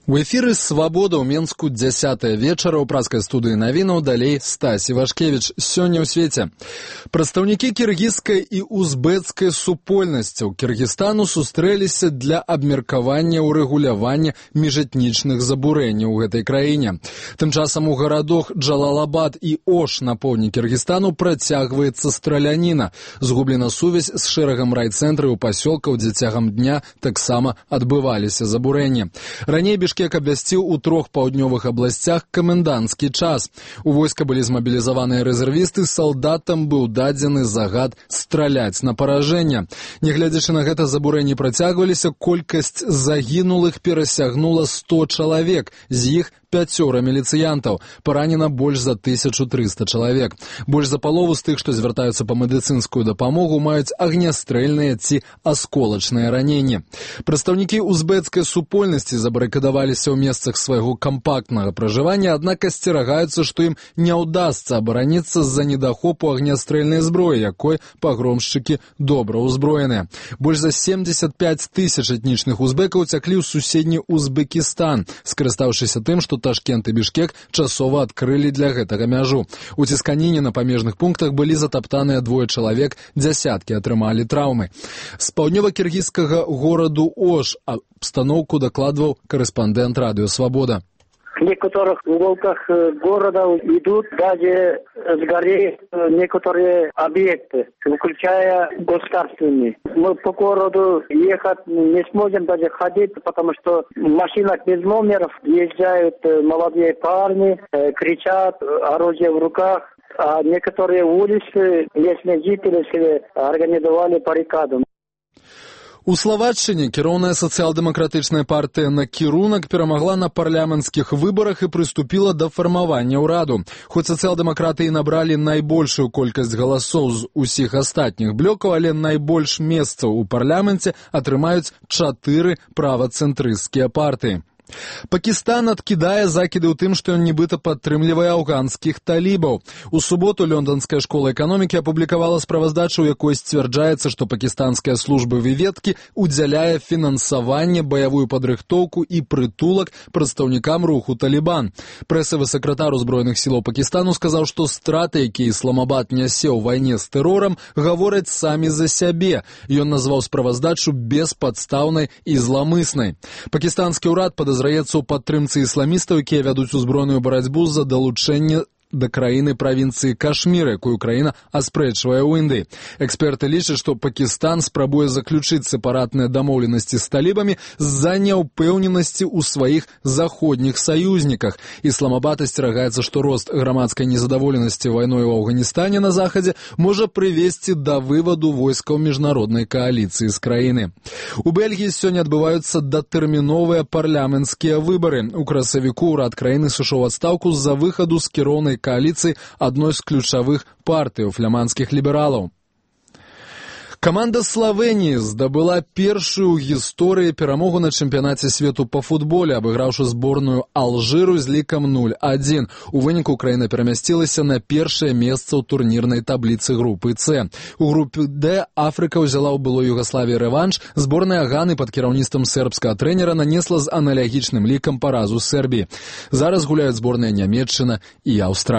У эфіры «Свабода» ў Менску 10 вечара ў праскай студыі навінаў, далей Стась Івашкевіч. Сёння ў свеце. Прадстаўнікі кіргізскай і узбецкай супольнасцяў Кіргізстану сустрэліся для абмеркавання ўрэгулявання міжэтнічных забурэнняў у гэтай краіне. Тым часам у гарадах Джалалабад і Ош на поўдні Кіргізстану працягваецца страляніна. Згублена сувязь з шэрагам райцэнтраў пасёлкаў, дзе цягам дня таксама адбываліся забурэнні. Раней Бішкек абвясціў у 3 паўднёвых абласцях каменданцкі час. У войска былі змабілізаваныя рэзервісты, салдатам быў дадзены загад страляць на паражэнне. Нягледзячы на гэта, забурэнні працягваліся, колькасць загінулых перасягнула 100 чалавек, з іх 5 міліцыянтаў. Паранена больш за 1300 чалавек. Больш за палову з тых, што звяртаюцца па медыцынскую дапамогу, маюць агнястрэльныя ці асколачныя раненні. Прадстаўнікі узбецкай супольнасці забарыкадаваліся ў месцах свайго кампактнага пражывання, аднак асцерагаюцца, што ім не ўдасца абараніцца з-за недахопу агнястрэльнай зброі, якой пагромшчыкі добра ўзброеныя. Больш за 75 тысяч этнічных узбекаў цяклі ў суседні Узбекістан, скарыстаўшыся тым, што Ташкент і Бішкек часова адкрылі для гэтага мяжу. У цісканіне на памежных пунктах былі затаптаныя 2 чалавек, дзясяткі атрымалі траўмы. З паўднёва-кіргізскага гораду Ош абстаноўку дакладваў корэспондент радыё «Свобода». В некоторых уголках города идут даже сгорели некоторые объекты, включая государственные. Мы по городу ехать не сможем даже ходить, потому что в машинах без номеров езжают молодые парни, кричат, оружие в руках. А некоторые улицы местные жители организовали баррикаду. У Словаччыне кіроўная сацыял-дэмакратычная партыя «Накірунак» перамагла на парламенцкіх выбарах і прыступіла да фармавання ўраду. Хоць сацыял-дэмакраты і набралі найбольшую колькасць галасоў з усіх астатніх блокаў, але найбольш месцаў у парламенце атрымаюць 4 правацэнтрысцкія партыі. Пакістан адкідае закіды ў тым, што ён нібыта падтрымлівае афганскіх талібаў. У суботу Лёнданская школа эканомікі апублікавала справаздачу, у якой сцвярджаецца, што пакістанская служба выведкі ўдзяляе фінансаванне, баявую падрыхтоўку і прытулак прадстаўнікам руху «Талібан». Прэсавы сакратар узброеных сілаў Пакістану сказаў, што страты, якія Ісламабад нясе ў вайне з тэрорам, гавораць самі за сябе. Ён назваў справаздачу беспадстаўнай і зламыснай. Пакістанскі ўрад падазраецца ў падтрымцы ісламістаў, якія вядуць узброеную барацьбу за далучэнне да краіны правінцыі Кашмір, якую краіна аспрэчвае ў Індыі. Эксперты лічаць, што Пакістан спрабуе заключыць сепаратныя дамоўленасці з талібамі з-за няўпэўненасці ў сваіх заходніх саюзніках. Ісламабад асцерагаецца, што рост грамадскай незадаволенасці вайной у Афганістане на захадзе можа прывесці да вываду войскаў міжнароднай кааліцыі з краіны. У Бельгіі сёння адбываюцца датэрміновыя парламенцкія выбары. У красавіку ўрад краіны сышоў у адстаўку з-за выхаду з кіроўнай коалиции одной из ключевых партий у фламандских либералов. Каманда Словении здабыла першую ў гісторыі перамогу на чэмпіянаце свету па футболе, абыграўшы зборную Алжыру з лікам 0-1. У выніку краіна перамясцілася на першае месца ў турнірнай табліцы групы С. У групе Д Афрыка ўзяла ў былой Югаславіі рэванш. Зборная Ганы пад кіраўніцтвам сербскага трэнера нанесла з аналогічным лікам паразу Сербіі. Зараз гуляюць зборныя Нямецчына і Аўстралія.